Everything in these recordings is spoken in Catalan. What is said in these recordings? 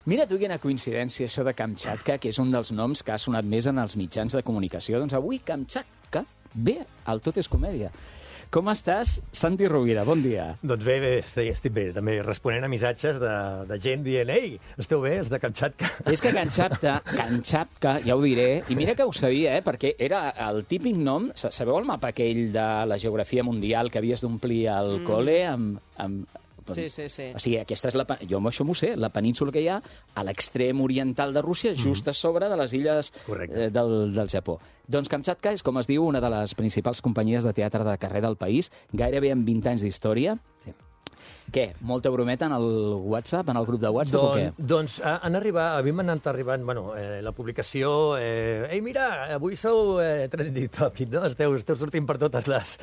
Mira tu quina coincidència, això de Kamchatka, que és un dels noms que ha sonat més en els mitjans de comunicació. Doncs avui Kamchatka ve al Tot és Comèdia. Com estàs, Santi Rovira? Bon dia. Doncs bé, estic bé. També responent a missatges de gent dient «Ei, esteu bé, els de Kamchatka?» És que Kamchatka, ja ho diré, i mira que ho sabia, perquè era el típic nom. Sabeu el mapa aquell de la geografia mundial que havies d'omplir al col·le amb... Sí. O sigui, aquesta és jo això m'ho sé, la península que hi ha a l'extrem oriental de Rússia, just a sobre de les illes del Japó. Doncs Kamchatka és, com es diu, una de les principals companyies de teatre de carrer del país, gairebé amb 20 anys d'història. Sí. Què? Molta brometa en el WhatsApp, en el grup de WhatsApp o què? Doncs a mi m'han anat arribant la publicació «Ei, mira, avui sou trending topic, no? Esteu sortint per totes les...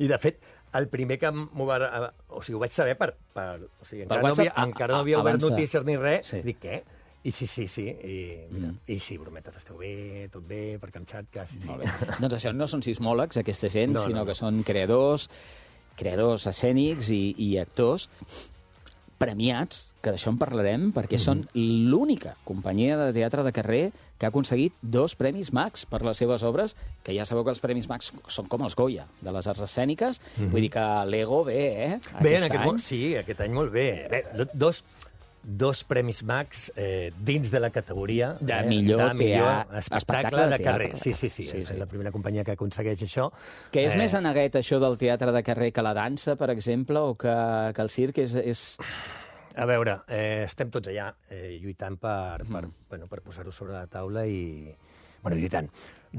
I, de fet, el primer que m'ho va... O sigui, ho vaig saber o sigui, encara no havia obert notícies ni res. Sí. Dic, què? I sí. I sí, brometes, esteu bé, tot bé, per Kamchatka, sí. Molt bé. Doncs això, no són sismòlegs, aquesta gent, sinó que són creadors escènics i actors premiats, que d'això en parlarem, perquè són l'única companyia de teatre de carrer que ha aconseguit 2 premis Max per les seves obres, que ja sabeu que els premis Max són com els Goya, de les arts escèniques. Vull dir que l'Ego ve, Bé, aquest any molt bé. Dos premis Max dins de la categoria de millor espectacle de carrer. Sí. És la primera companyia que aconsegueix això. Que és més aneguet, això del teatre de carrer, que la dansa, per exemple, o que el circ és... A veure, estem tots allà lluitant per posar-ho sobre la taula i... Bueno,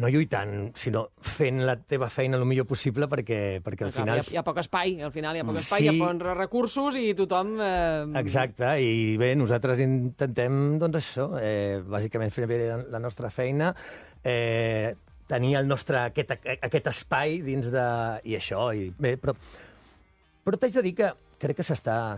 no lluitant, sinó fent la teva feina el millor possible perquè al final... Hi ha poc espai, al final hi ha poc espai, hi ha pocs recursos i tothom... Exacte, i bé, nosaltres intentem, doncs això, bàsicament fer bé la nostra feina, tenir el nostre, aquest espai dins de... I això, però t'haig de dir que crec que s'està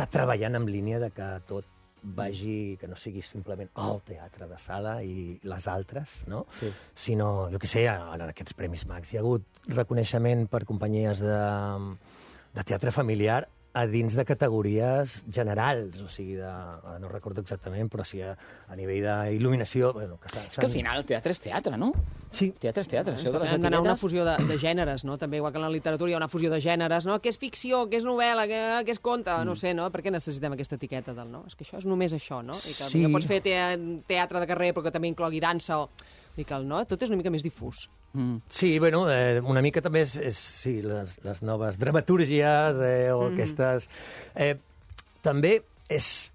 treballant en línia de que tot vagi, que no sigui simplement el teatre de sala i les altres, no? Sí. Sinó, jo què sé, en aquests Premis Max hi ha hagut reconeixement per companyies de teatre familiar a dins de categories generals, o sigui, no recordo exactament, però sí a nivell d'il·luminació... És que al final el teatre és teatre, no? Sí. Teatre és teatre. Això de les etiquetes... d'anar una fusió de gèneres, no? També, igual que en la literatura hi ha una fusió de gèneres, no? Què és ficció, què és novel·la, què és conte? No sé, no? Per què necessitem aquesta etiqueta del no? És que això és només això, no? I que no pots fer teatre de carrer, però que també inclogui dansa o... I que el no, tot és una mica més difús. Sí, bueno, una mica també és les noves dramatúrgies o aquestes... També és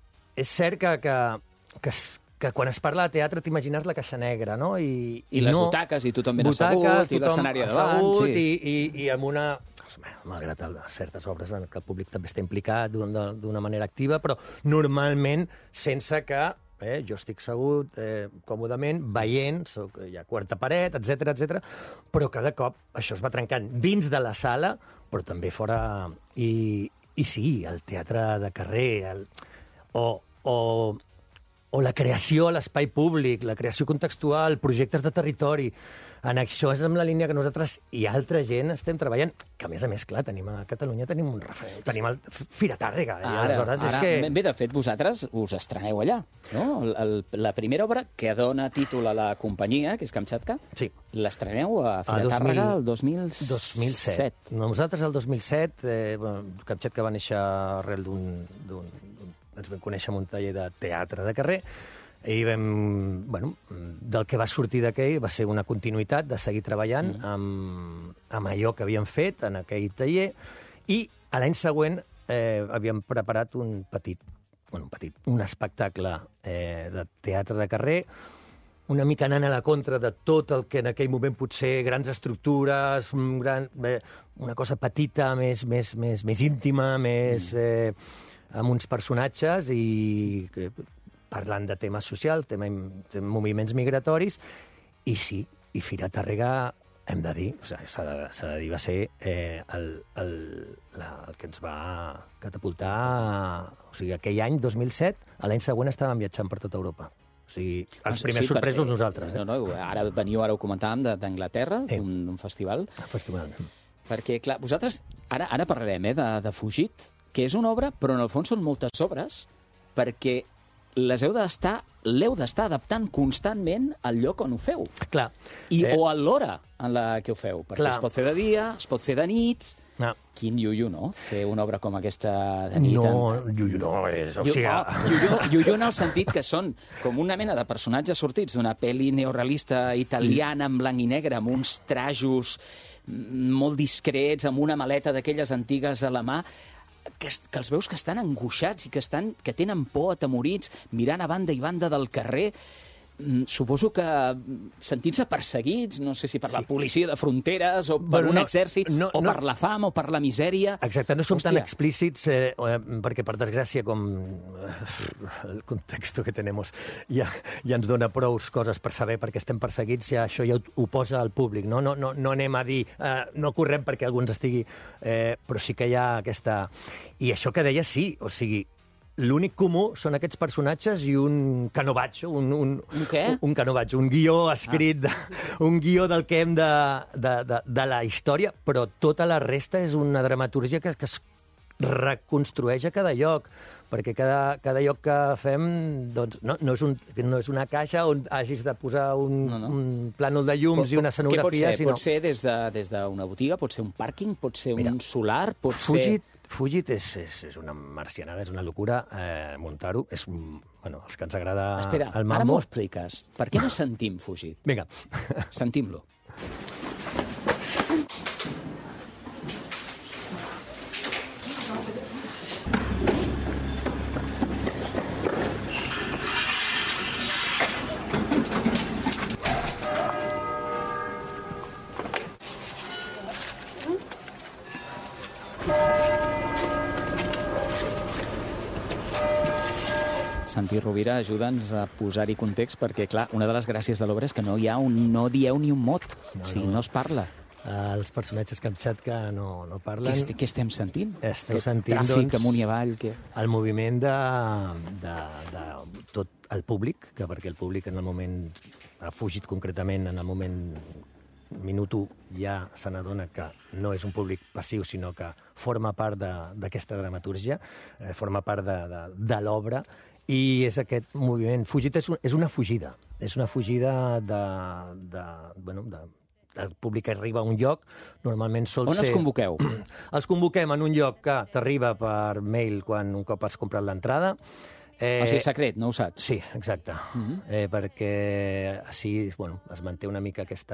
cert que quan es parla de teatre t'imagines la caixa negra, no? I les butaques, i tothom ben assegut, i l'escenari a davant. I amb una... Malgrat certes obres en què el públic també està implicat d'una manera activa, però normalment sense que... jo estic assegut còmodament, veient, hi ha quarta paret, etc, però cada cop això es va trencant dins de la sala, però també fora... I sí, el teatre de carrer, o la creació a l'espai públic, la creació contextual, projectes de territori. En això és amb la línia que nosaltres i altra gent estem treballant, que a més, clar, a Catalunya tenim un referent, tenim el Fira Tàrrega. Bé, de fet, vosaltres us estreneu allà, no? La primera obra que dona títol a la companyia, que és Kamchatka, l'estreneu a Fira Tàrrega el 2007. Nosaltres el 2007, Kamchatka va néixer arrel ens vam conèixer en un taller de teatre de carrer, i del que va sortir d'aquell va ser una continuïtat de seguir treballant amb allò que havíem fet en aquell taller, i l'any següent havíem preparat un espectacle de teatre de carrer, una mica anant a la contra de tot el que en aquell moment potser grans estructures, una cosa petita, més íntima, més amb uns personatges i parlant de temes socials, de moviments migratoris, i sí, i Fira Tàrrega, hem de dir, s'ha de dir, va ser el que ens va catapultar, o sigui, aquell any, 2007, l'any següent estàvem viatjant per tota Europa. O sigui, els primers sorpresos nosaltres. Ara ho comentàvem d'Anglaterra, d'un festival. Festival. Perquè, clar, vosaltres, ara parlarem de Fugit, que és una obra, però en el fons són moltes obres, perquè l'heu d'estar adaptant constantment al lloc on ho feu. Clar. O a l'hora en la que ho feu, perquè es pot fer de dia, es pot fer de nit. Quin iuiu, no? Fer una obra com aquesta de nit. No, iuiu no és... Iuiu en el sentit que són com una mena de personatges sortits d'una pel·li neorealista italiana en blanc i negre, amb uns trajos molt discrets, amb una maleta d'aquelles antigues a la mà, que els veus que estan angoixats i que tenen por, atemorits, mirant a banda i banda del carrer. Suposo que sentint-se perseguits, no sé si per la policia de fronteres o per un exèrcit, o per la fam o per la misèria. Exacte, no som tan explícits, perquè, per desgràcia, com el context que tenim ja ens dona prou coses per saber perquè estem perseguits, ja això ja ho posa al públic. No anem a dir, no correm perquè algú ens estigui... Però sí que hi ha aquesta... I això que deia, sí, o sigui, l'únic comú són aquests personatges i un canovatge, un canovatge, un guió escrit, un guió del que hem de la història, però tota la resta és una dramatúrgia que es reconstrueix a cada lloc, perquè cada lloc que fem doncs, no és una caixa on hagis de posar un plànol de llums i una escenografia. Què pot ser? Pot ser des d'una botiga, pot ser un pàrquing, pot ser un solar, pot ser... Fugit és una marcianada, és una locura muntar-ho. És, els que ens agrada el mambo... Espera, ara m'ho expliques. Per què no sentim Fugit? Vinga. Sentim-lo. Santi Rovira, ajuda'ns a posar-hi context, perquè, clar, una de les gràcies de l'obra és que no dieu ni un mot, no es parla. Els personatges Kamchatka no parlen. Què estem sentint? Esteu sentint, tràfic amunt i avall? El moviment de tot el públic, perquè el públic en el moment ha fugit concretament, en el moment minut 1 ja se n'adona que no és un públic passiu, sinó que forma part d'aquesta dramatúrgia, forma part de l'obra, i és aquest moviment. Fugit és una fugida. És una fugida del públic que arriba a un lloc. Normalment sol ser... On els convoqueu? Els convoquem en un lloc que t'arriba per mail un cop has comprat l'entrada. O sigui, secret, no ho saps? Sí, exacte. Perquè així es manté una mica aquest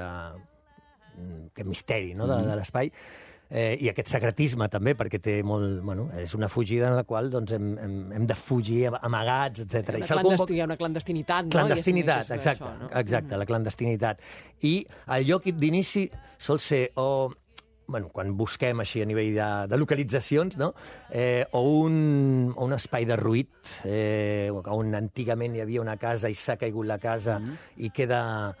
misteri de l'espai. I aquest secretisme també, perquè té molt... és una fugida en la qual hem de fugir amagats, etc. Hi ha una clandestinitat, no? Clandestinitat, exacte, la clandestinitat. I el lloc d'inici sol ser quan busquem així a nivell de localitzacions, o un espai derruït, on antigament hi havia una casa i s'ha caigut la casa i queda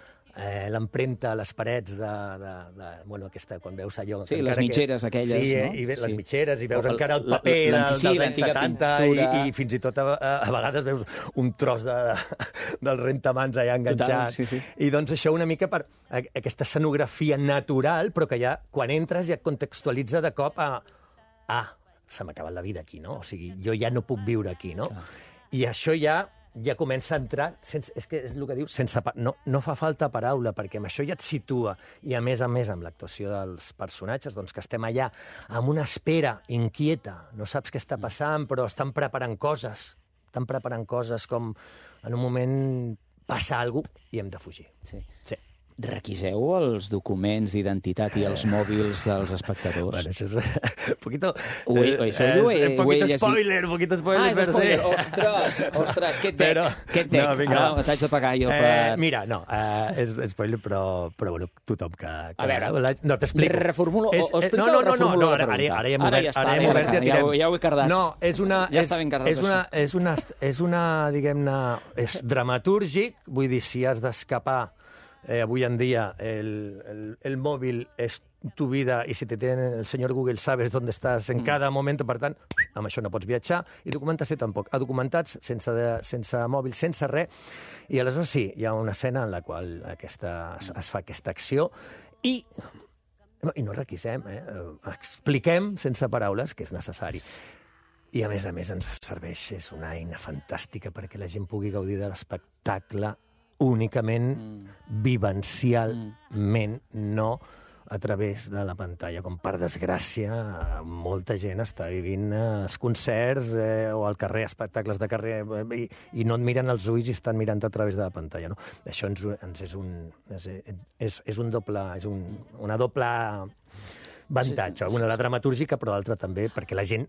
l'empremta a les parets aquesta, quan veus allò... Sí, les mitgeres aquelles, no? Sí, i les mitgeres, i veus encara el paper dels anys 70, i fins i tot a vegades veus un tros del rentamans allà enganxat. I doncs això una mica per aquesta escenografia natural, però que ja, quan entres, ja et contextualitza de cop s'ha acabat la vida aquí, no? O sigui, jo ja no puc viure aquí, no? I això ja comença a entrar, és que és el que dius, no fa falta paraula, perquè amb això ja et situa, i a més amb l'actuació dels personatges, doncs que estem allà amb una espera inquieta, no saps què està passant, però estan preparant coses com en un moment passa alguna cosa i hem de fugir. Sí. Requiseu els documents d'identitat i els mòbils dels espectadors? Bueno, això és un poquito... Un poquito spoiler. És spoiler. Ostres, què et dec? No, t'haig de pagar jo per... Mira, no, és spoiler, però tothom que... A veure, no, t'explico. Reformulo, o explica o reformulo la pregunta? Ara ja està, ja ho he cardat. No, ja està ben cardat. És una, diguem-ne, és dramatúrgic, vull dir, si has d'escapar. Avui en dia el móvil és tu vida, i si te tiene el senyor Google sabes on estàs en cada moment, per tant, amb això no pots viatjar, i documentació tampoc. Documentats, sense mòbil, sense res, i aleshores sí, hi ha una escena en la qual es fa aquesta acció, i no requisem, expliquem sense paraules que és necessari. I a més ens serveix, és una eina fantàstica perquè la gent pugui gaudir de l'espectacle únicament vivencialment, no a través de la pantalla, com per desgràcia molta gent està vivint els concerts o al carrer, espectacles de carrer, i no et miren els ulls i estan mirant a través de la pantalla. No? Això és una doble avantatge, una la dramatúrgica, però l'altra també, perquè la gent...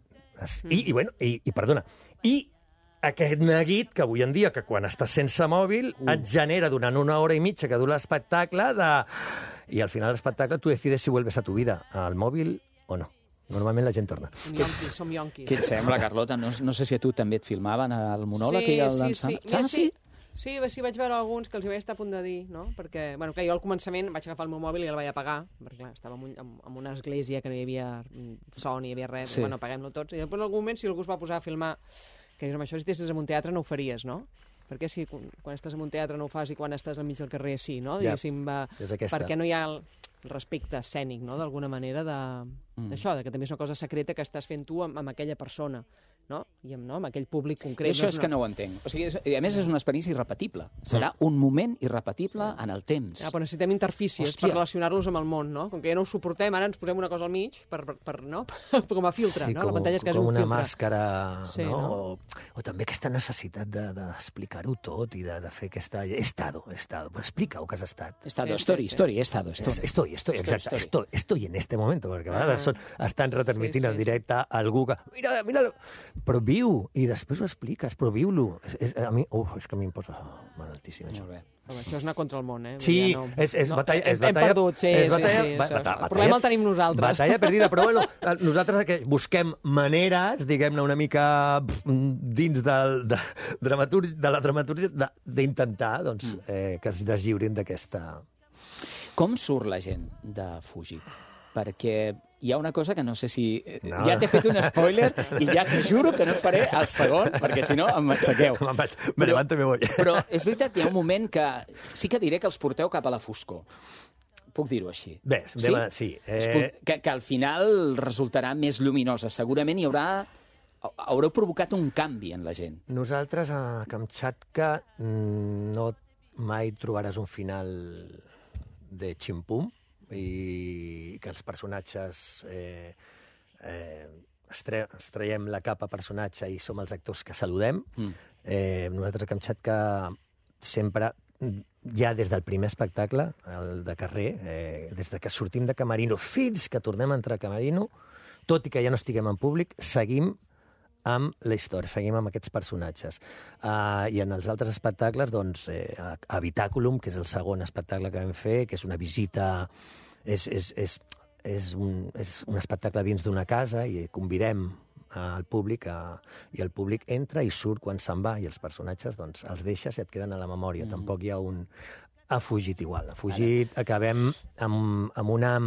Perdona, aquest neguit que avui en dia, que quan estàs sense mòbil, et genera durant 1 hora i mitja que dura l'espectacle i al final l'espectacle tu decides si vuelves a tu vida, al mòbil o no. Normalment la gent torna. Som yonquis. Què et sembla, Carlota? No sé si a tu també et filmaven el monòleg i el dansant. Sí, vaig veure alguns que els hi vaig estar a punt de dir, no? Perquè, bueno, clar, jo al començament vaig agafar el meu mòbil i el vaig apagar, perquè clar, estava en una església que no hi havia so, ni hi havia res, bueno, apaguem-lo tots. I després en algun moment, si algú es va posar a filmar, que amb això si estiguessis en un teatre no ho faries, no? Perquè si quan estàs en un teatre no ho fas i quan estàs al mig del carrer sí, no? Diguéssim, perquè no hi ha el respecte escènic, no?, d'alguna manera d'això, que també és una cosa secreta que estàs fent tu amb aquella persona, no? I amb aquell públic concret. I això és que no ho entenc. O sigui, a més, és una experiència irrepetible. Serà un moment irrepetible en el temps. Però necessitem interfícies per relacionar-los amb el món, no? Com que ja no ho suportem, ara ens posem una cosa al mig no? Com a filtre, no? La pantalla és quasi un filtre. Com una màscara, no? O també aquesta necessitat d'explicar-ho tot i de fer aquesta... Estado. Explica-ho que has estat. Estado, story. Estoy en este momento, perquè a vegades estan retransmitint en directe algú que... Mira, però viu, i després ho expliques, però viu-lo. És que a mi em posa malaltíssim, això. Això és anar contra el món, eh? Sí, és batalla... Hem perdut, sí. El problema el tenim nosaltres. Batalla perdida, però bueno, nosaltres busquem maneres, diguem-ne, una mica dins de la dramatúrgia, d'intentar que es deslliurin d'aquesta... Com surt la gent de Fugit? Perquè hi ha una cosa que no sé si... Ja t'he fet un spoiler i ja t'ho juro que no et faré el segon, perquè si no em matxaqueu. Me levanto i me voy. Però és veritat que hi ha un moment que sí que diré que els porteu cap a la foscor. Puc dir-ho així? Bé, sí. Que al final resultarà més lluminosa. Segurament haureu provocat un canvi en la gent. Nosaltres a Kamchatka no mai trobaràs un final de ximpum, i que els personatges traiem la capa personatge i som els actors que saludem. Nosaltres a Kamchatka sempre, ja des del primer espectacle, el de carrer, des que sortim de Camerino fins que tornem a entrar a Camerino, tot i que ja no estiguem en públic, seguim amb la història, seguim amb aquests personatges. I en els altres espectacles, doncs, Habitaculum, que és el segon espectacle que vam fer, que és una visita... És un espectacle dins d'una casa i convidem al públic i el públic entra i surt quan se'n va i els personatges doncs, els deixes i et queden a la memòria. Tampoc hi ha un... Ha fugit igual. Ha fugit, acabem amb una...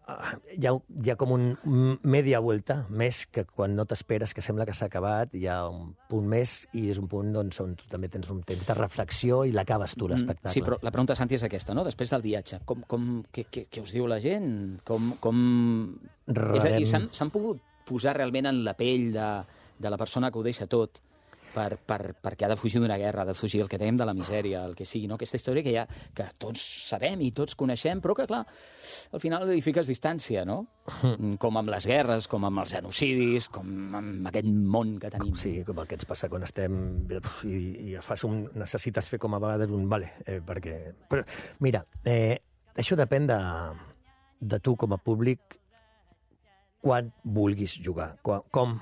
Hi ha com un media vuelta, més que quan no t'esperes, que sembla que s'ha acabat, hi ha un punt més i és un punt doncs, on tu també tens un temps de reflexió i l'acabes tu, l'espectacle. Sí, però la pregunta, Santi, és aquesta, no? Després del viatge, què us diu la gent? És a dir, s'han pogut posar realment en la pell de la persona que ho deixa tot perquè ha de fugir d'una guerra, ha de fugir el que dèiem de la misèria, el que sigui, no? Aquesta història que tots sabem i tots coneixem, però que, clar, al final hi fiques distància, no? Com amb les guerres, com amb els genocidis, com amb aquest món que tenim. Sí, com el que ens passa quan estem i necessites fer com a vegades un vale, perquè... Però, mira, això depèn de tu com a públic quan vulguis jugar, com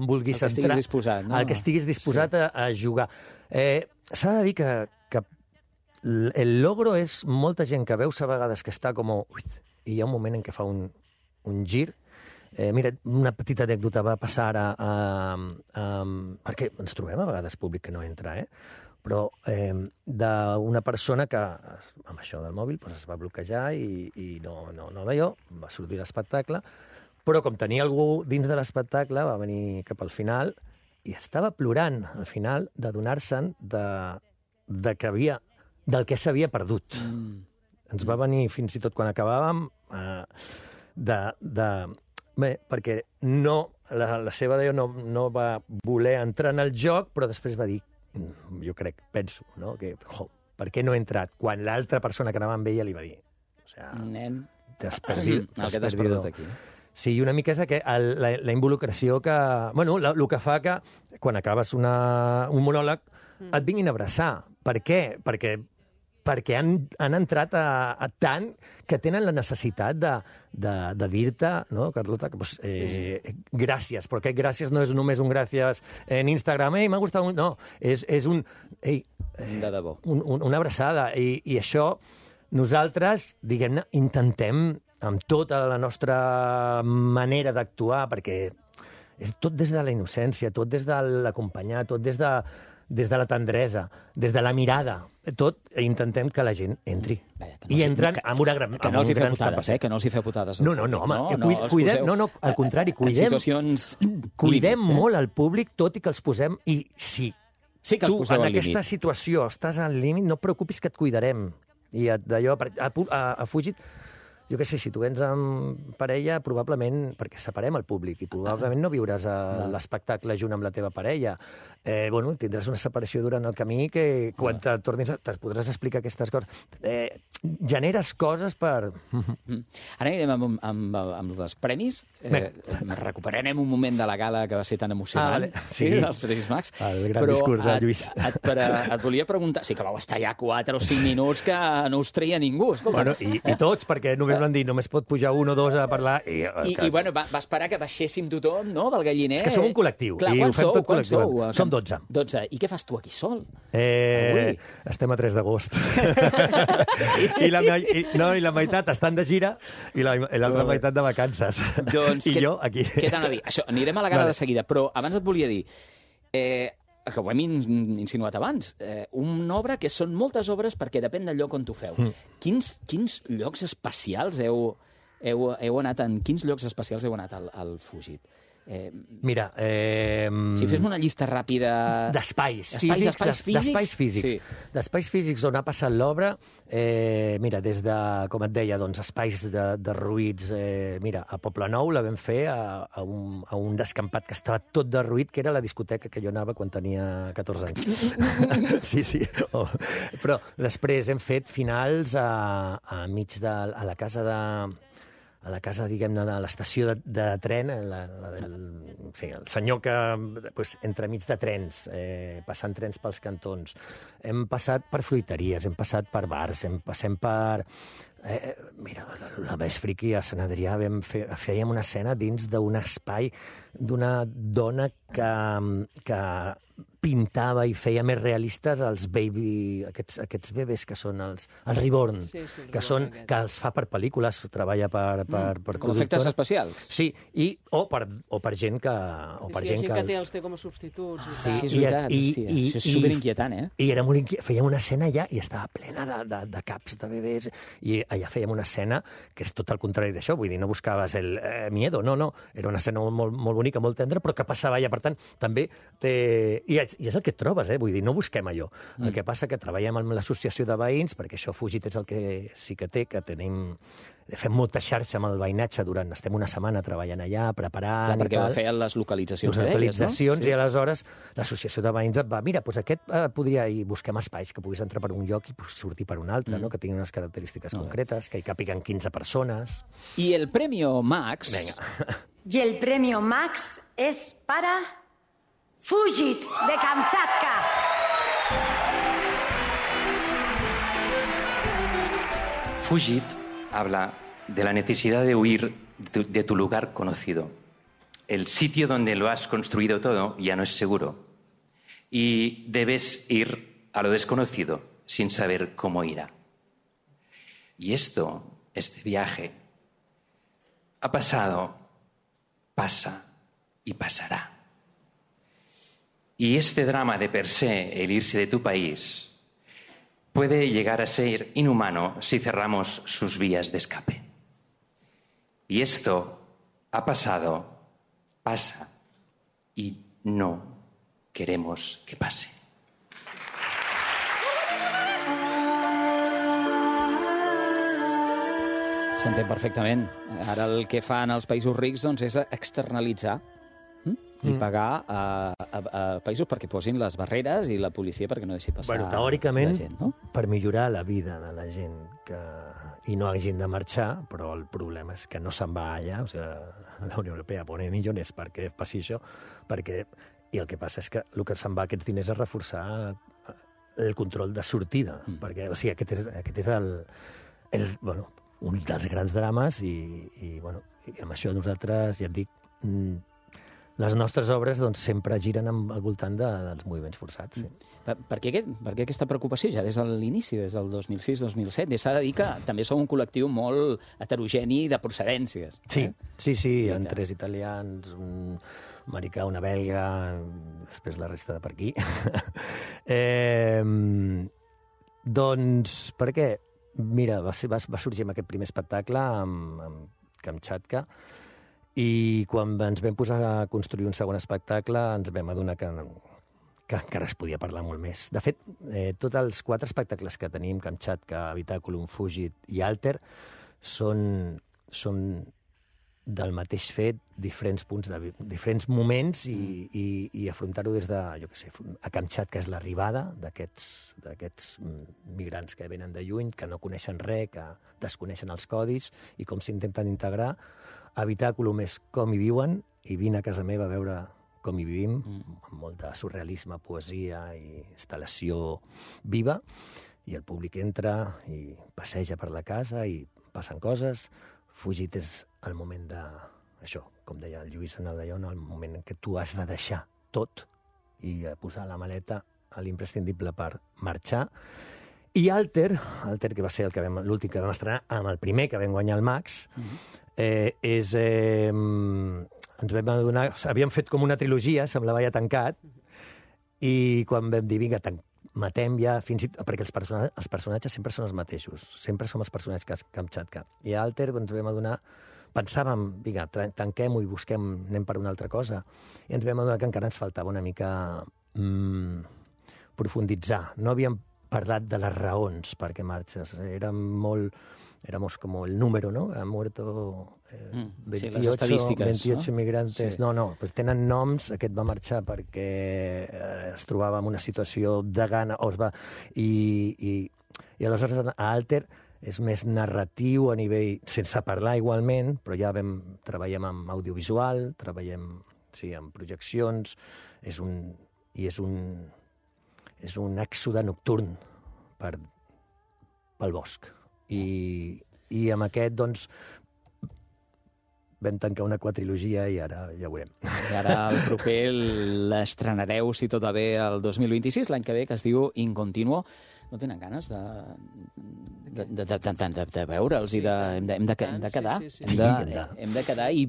vulguis entrar... El que estiguis disposat, no? El que estiguis disposat a jugar. S'ha de dir que el logro és molta gent que veus a vegades que està com... I hi ha un moment en què fa un gir. Mira, una petita anècdota va passar ara... perquè ens trobem a vegades públic que no entra, però d'una persona que, amb això del mòbil, es va bloquejar i no d'allò, va sortir l'espectacle, però com tenia algú dins de l'espectacle, va venir cap al final i estava plorant al final d'adonar-se'n del que s'havia perdut. Ens va venir fins i tot quan acabàvem bé, perquè no la seva deo no va voler entrar en el joc, però després va dir, jo penso, no? Que, per què no he entrat? Quan l'altra persona que anava amb ella li va dir, o sigui, nen, t'has perdut. el que t'has perdut aquí. Sí, una mica és la involucració que... Bueno, el que fa que quan acabes un monòleg et vinguin a abraçar. Per què? Perquè han entrat a tant que tenen la necessitat de dir-te, no, Carlota, que, pues, gràcies, però aquest gràcies no és només un gràcies en Instagram, m'ha gustat, no, és un... de debò. Una abraçada, i això nosaltres, diguem-ne, intentem amb tota la nostra manera d'actuar, perquè és tot des de la innocència, tot des de l'acompanyar, tot des de la tendresa, des de la mirada, tot intentem que la gent entri. I entren amb una gran... Que no els hi feu putades, que no els hi feu putades. No, home, cuidem, al contrari, cuidem molt el públic, tot i que els posem... I sí que els poseu al límit. Tu, en aquesta situació, estàs al límit, no et preocupis que et cuidarem. I d'allò, ha fugit... Jo què sé, si tu vens amb parella, probablement, perquè separem el públic, i probablement no viuràs l'espectacle junt amb la teva parella. Bueno, tindràs una separació durant el camí que quan te tornis te podràs explicar aquestes coses. Generes coses per... Ara anirem amb els premis. Recuperarem un moment de la gala que va ser tan emocionant, dels Premis Max. El gran discurs de Lluís. Et volia preguntar... Sí que vau estar ja 4 o 5 minuts que no us treia ningú. Bueno, i tots, perquè només van dir, només pot pujar 1 o 2 a parlar... I bueno, va esperar que baixéssim tothom, no?, del galliner. És que som un col·lectiu, i ho fem tot col·lectiu. Som 12. 12. I què fas tu aquí sol? Estem a 3 d'agost. I la meitat estan de gira i l'altra meitat de vacances. Doncs, I jo aquí. Què t'han de dir? Això, anirem a la gala de seguida, però abans et volia dir... que ho hem insinuat abans, una obra que són moltes obres perquè depèn del lloc on tu feu. Quins llocs especials heu anat quins llocs especials heu anat al Fugit? Mira... Si fes una llista ràpida... D'espais físics. Sí. D'espais físics on ha passat l'obra, mira, des de, com et deia, doncs, espais derruïts. Mira, a Poblenou la vam fer a un descampat que estava tot derruït, que era la discoteca que jo anava quan tenia 14 anys. Sí. Però després hem fet finals a mig de... a la casa, diguem-ne, de l'estació de tren, el senyor que, entremig de trens, passant trens pels cantons. Hem passat per fruiteries, hem passat per bars, passem per... mira, la més friqui a Sant Adrià fèiem una escena dins d'un espai d'una dona que pintava i feia més realistes els aquests bebès que són els reborn, que els fa per pel·lícules, treballa per com efectes especials. Sí, o per gent que... gent que els té com a substituts. Sí, és veritat, això és superinquietant, I era molt inquietant. Fèiem una escena allà i estava plena de caps de bebès, i allà fèiem una escena que és tot el contrari d'això, vull dir, no buscaves el miedo, no, era una escena molt bonica, molt tendra, però que passava allà, per tant, també i és el que et trobes, vull dir, no busquem allò. El que passa que treballem amb l'associació de veïns, perquè això Fugit és el que sí que té, que fem molta xarxa amb el veïnatge estem una setmana treballant allà, preparant... Perquè feien les localitzacions que deies, no? I aleshores l'associació de veïns et va, mira, doncs aquest podria... I busquem espais que puguis entrar per un lloc i sortir per un altre, no? Que tinguin unes característiques concretes, que hi càpiguen 15 persones... I el Premio Max... Venga. Y el Premio Max es para... Fugit, de Kamchatka. Fugit habla de la necesidad de huir de tu lugar conocido. El sitio donde lo has construido todo ya no es seguro. Y debes ir a lo desconocido sin saber cómo irá. Y este viaje, ha pasado, pasa y pasará. Y este drama de per se, el irse de tu país, puede llegar a ser inhumano si cerramos sus vías de escape. Y esto ha pasado, pasa, y no queremos que pase. S'entén perfectament. Ara el que fan els països rics doncs, és externalitzar i pagar a països perquè posin les barreres i la policia perquè no deixi passar teòricament, la gent, no? Per millorar la vida de la gent i no hagin de marxar, però el problema és que no se'n va allà, o sigui, la Unió Europea pone millones perquè passi això, i el que passa és que el que se'n va aquests diners és reforçar el control de sortida, perquè, o sigui, aquest és un dels grans drames i amb això nosaltres, ja et dic, les nostres obres doncs, sempre giren al voltant dels moviments forçats. Sí. Per què aquesta preocupació ja des de l'inici, des del 2006-2007? I s'ha de dir que també som un col·lectiu molt heterogeni de procedències. Sí, sí, hi ha 3 italians, un americà, una belga, després la resta de per aquí. Doncs, per què? Mira, va sorgir amb aquest primer espectacle, amb Kamchatka, i quan ens vam posar a construir un segon espectacle ens vam adonar que encara es podia parlar molt més. De fet, tots els 4 espectacles que tenim, Kamchatka, Habitaculum, Fugit i Alter, són del mateix fet, diferents punts, diferents moments i afrontar-ho des de, jo què sé, a Kamchatka és l'arribada d'aquests migrants que venen de lluny, que no coneixen res, que desconeixen els codis i com s'intenten integrar. Habitaculum és com hi viuen i vine a casa meva a veure com hi vivim, amb molt de surrealisme, poesia i instal·lació viva, i el públic entra i passeja per la casa i passen coses. Fugit és el moment això, com deia el Lluís Analdaion, el moment en què tu has de deixar tot i posar la maleta a l'imprescindible per marxar. I Alter, que va ser l'últim que vam estrenar, amb el primer que vam guanyar el Max, ens vam adonar, havíem fet com una trilogia, semblava ja tancat, i quan vam dir, vinga, matem ja, perquè els personatges sempre són els mateixos, sempre som els personatges Kamchatka. I a Alter ens vam adonar, pensàvem, vinga, tanquem-ho i anem per una altra cosa, i ens vam adonar que encara ens faltava una mica profunditzar. No havíem parlat de les raons perquè marxes, éramos como el número, ¿no? Ha muerto 28, les estadístiques, 28 migrantes. Sí. No, pues tenen noms, aquest va marxar perquè es trobava en una situació de gana, i aleshores a Alter és més narratiu a nivell, sense parlar igualment, però ja treballem amb audiovisual, treballem amb projeccions, és un èxode nocturn pel bosc. I amb aquest, doncs, vam tancar una quadrilogia i ara ja ho veurem. I ara el proper l'estrenareu, si tot va bé, el 2026, l'any que ve, que es diu Incontinuo. No tenen ganes de veure'ls i hem de quedar. Hem de quedar i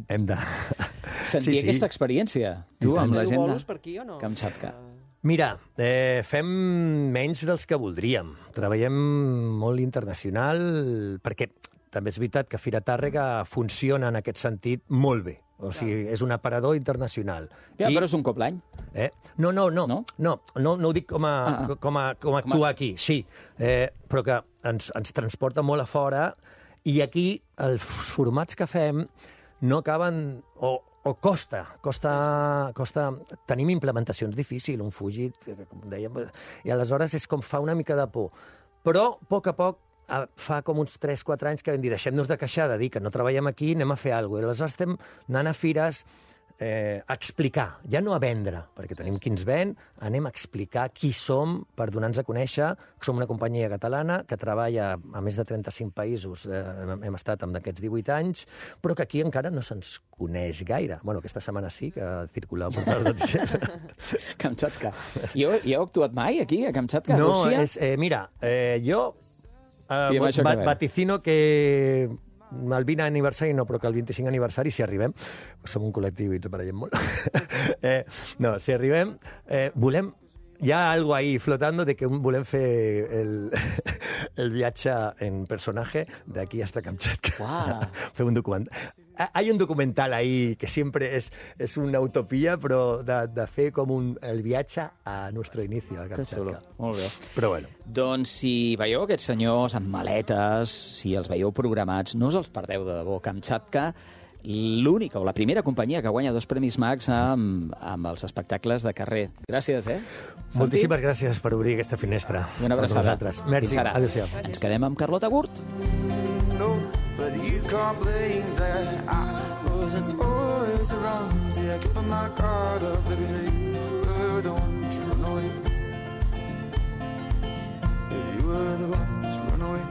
sentir aquesta experiència. Tu, amb la gent de Kamchatka. Mira, fem menys dels que voldríem. Treballem molt internacional, perquè també és veritat que Fira Tàrrega funciona en aquest sentit molt bé. O sigui, és un aparador internacional. Ja, però és un cop l'any. No ho dic com a actuar aquí, sí, però que ens transporta molt a fora i aquí els formats que fem no acaben... O costa. Tenim implementacions difícils, un Fugit, com dèiem, i aleshores és com fa una mica de por. Però, a poc, fa com uns 3-4 anys que vam dir, deixem-nos de queixar, de dir que no treballem aquí, anem a fer alguna cosa. I aleshores estem anant a fires a explicar, ja no a vendre, perquè tenim qui ens ven, anem a explicar qui som per donar-nos a conèixer, que som una companyia catalana que treballa a més de 35 països, hem estat amb aquests 18 anys, però que aquí encara no se'ns coneix gaire. Bueno, aquesta setmana sí, que circula el portal de Kamchatka. I heu actuat mai aquí, a Kamchatka, a no, Rússia? Mira, jo vaticino que el 20 aniversari no, però que el 25 aniversari, si arribem, som un col·lectiu i ens barallem molt, si arribem, volem, hi ha algo ahí flotando de que volem fer el viatge en personaje de aquí hasta Kamchatka. Wow. Fer un documental. Hay un documental ahí que siempre es una utopía, però de fer com el viatge a nuestro inicio a Kamchatka. Molt bé. Però bueno. Doncs si veieu aquests senyors amb maletes, si els veieu programats, no us els perdeu de debò. Kamchatka, l'única o la primera companyia que guanya 2 Premis Max amb els espectacles de carrer. Gràcies, Moltíssimes gràcies per obrir aquesta finestra. I una abraçada. Merci. Fins ara. Adéu-siau. Ens quedem amb Carlota Gurt. No, but you can't blame that I wasn't always around. See, I kept my guard up because you were the one to run away. Yeah, you were the one to run away.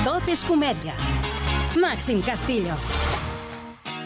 Tot és comèdia. Màxim Castillo.